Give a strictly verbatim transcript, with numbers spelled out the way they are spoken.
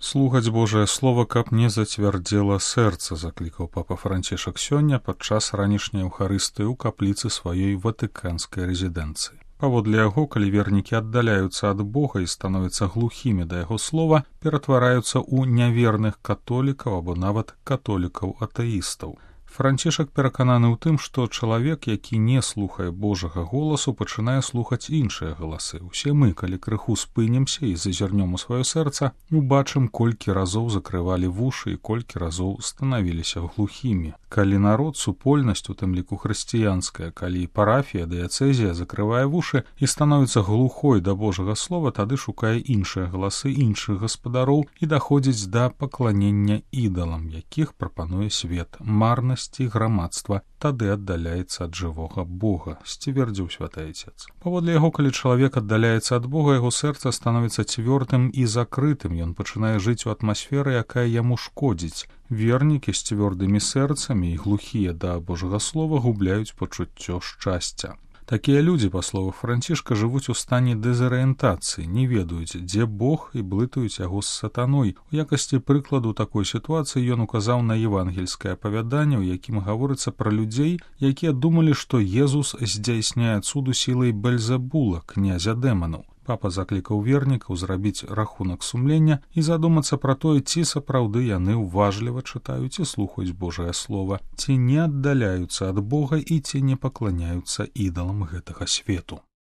Слухаць Божае Слово, каб не зацвярдзела сэрца, заклікаў папа Францішак сёння падчас ранішняй еўхарыстыі ў капліцы сваёй ватыканскай рэзідэнцыі. Паводле яго, калі вернікі аддаляюцца ад Бога і становяцца глухімі да яго слова, ператвараюцца ў няверных католікаў або нават католікаў-атэістаў. Францішак перакананы ў тым, што чалавек, які не слухае Божага голасу, пачынае слухаць іншыя галасы. Усе мы, калі крыху спынімся і зазірнём у сваё сэрца, убачым, колькі разоў закрывалі вушы і колькі разоў станавіліся глухімі. Калі народ, супольнасць, у тым ліку хрысціянская, калі парафія, дыяцэзія закрывае вушы і становіцца глухой да Божага слова, тады шукае іншыя галасы іншых гаспадароў і даходзіць да пакланення ідалам, якіх прапануе свет, марнасць і грамадства, тады аддаляецца ад жывога Бога, сцвярдзіў святы Айцец. Паводле яго, калі чалавек аддаляецца ад Бога, яго сэрца становіцца цвёрдым і закрытым, ён пачынае жыць у атмасферы, якая яму шкодзіць. Вернікі з цвёрдымі сэрцамі і глухія да Божага слова губляюць пачуццё шчасця. Такія людзі, па словах Францішка, жывуць у стане дэзарыентацыі, не ведаюць, дзе Бог, і блытаюць яго з сатаной. У якасці прыкладу такой сітуацыі ён указаў на евангельскае апавяданне, у якім гаворыцца пра людзей, якія думалі, што Езус здзяйсняе цуду сілай Бельзебула, князя дэманаў. Папа заклікаў вернікаў зрабіць рахунак сумлення і задумацца пра тое, ці сапраўды яны ўважліва чытаюць і слухаюць Божае Слова, ці не аддаляюцца ад Бога і ці не пакланяюцца ідалам гэтага свету.